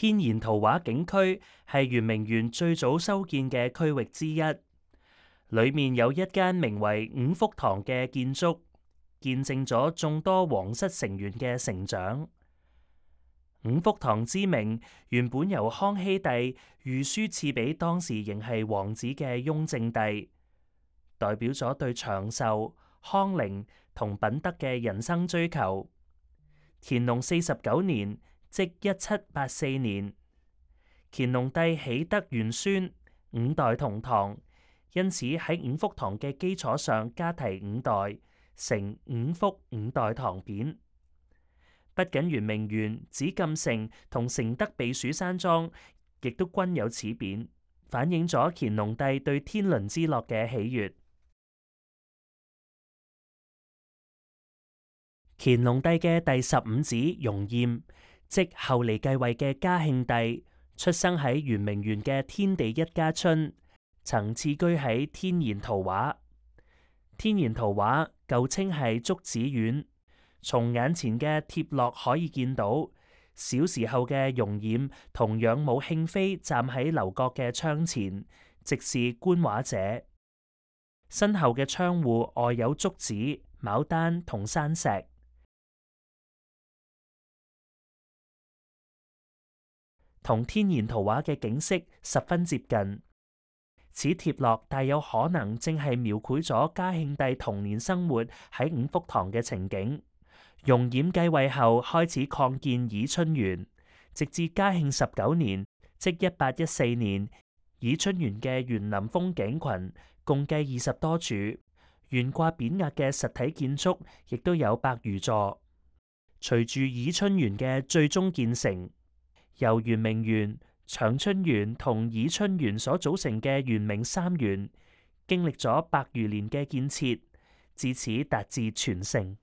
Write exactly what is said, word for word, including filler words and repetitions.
天然圖畫景區係圓明園最早修建嘅區域之一，裏面有一間名為五福堂嘅建築，見證咗眾多皇室成員嘅成長。五福堂之名原本由康熙帝御書賜俾當時仍係王子嘅雍正帝，代表咗對長壽、康寧同品德嘅人生追求。乾隆四十九年，即一七八四年，乾隆帝喜得元孫，五代同堂，因此喺五福堂嘅基礎上加提五代，成五福五代堂匾。不僅圓明園、紫禁城同承德避暑山莊，亦都均有此匾，反映咗乾隆帝對天倫之樂嘅喜悅。乾隆帝嘅第十五子容焱，即後嚟繼位嘅嘉慶帝，出生喺圓明園嘅天地一家春，曾次居喺天然圖畫。天然圖畫舊稱係竹子苑。從眼前嘅貼落可以見到，小時候嘅容焱同養母慶妃站喺樓閣嘅窗前，直視觀畫者。身後嘅窗戶外有竹子、牡丹同山石，同天然圖畫嘅景色十分接近。此貼落大有可能正係描繪咗嘉慶帝童年生活喺五福堂嘅情景。容焱繼位後開始擴建倚春園，直至嘉慶十九年，即一八一四年，倚春園嘅園林風景群共計二十多處，懸掛匾額嘅實體建築亦都有百餘座。隨住倚春園嘅最終建成，由圓明園、長春園同倚春園所組成嘅圓明三園，經歷咗百餘年嘅建設，至此達至全盛。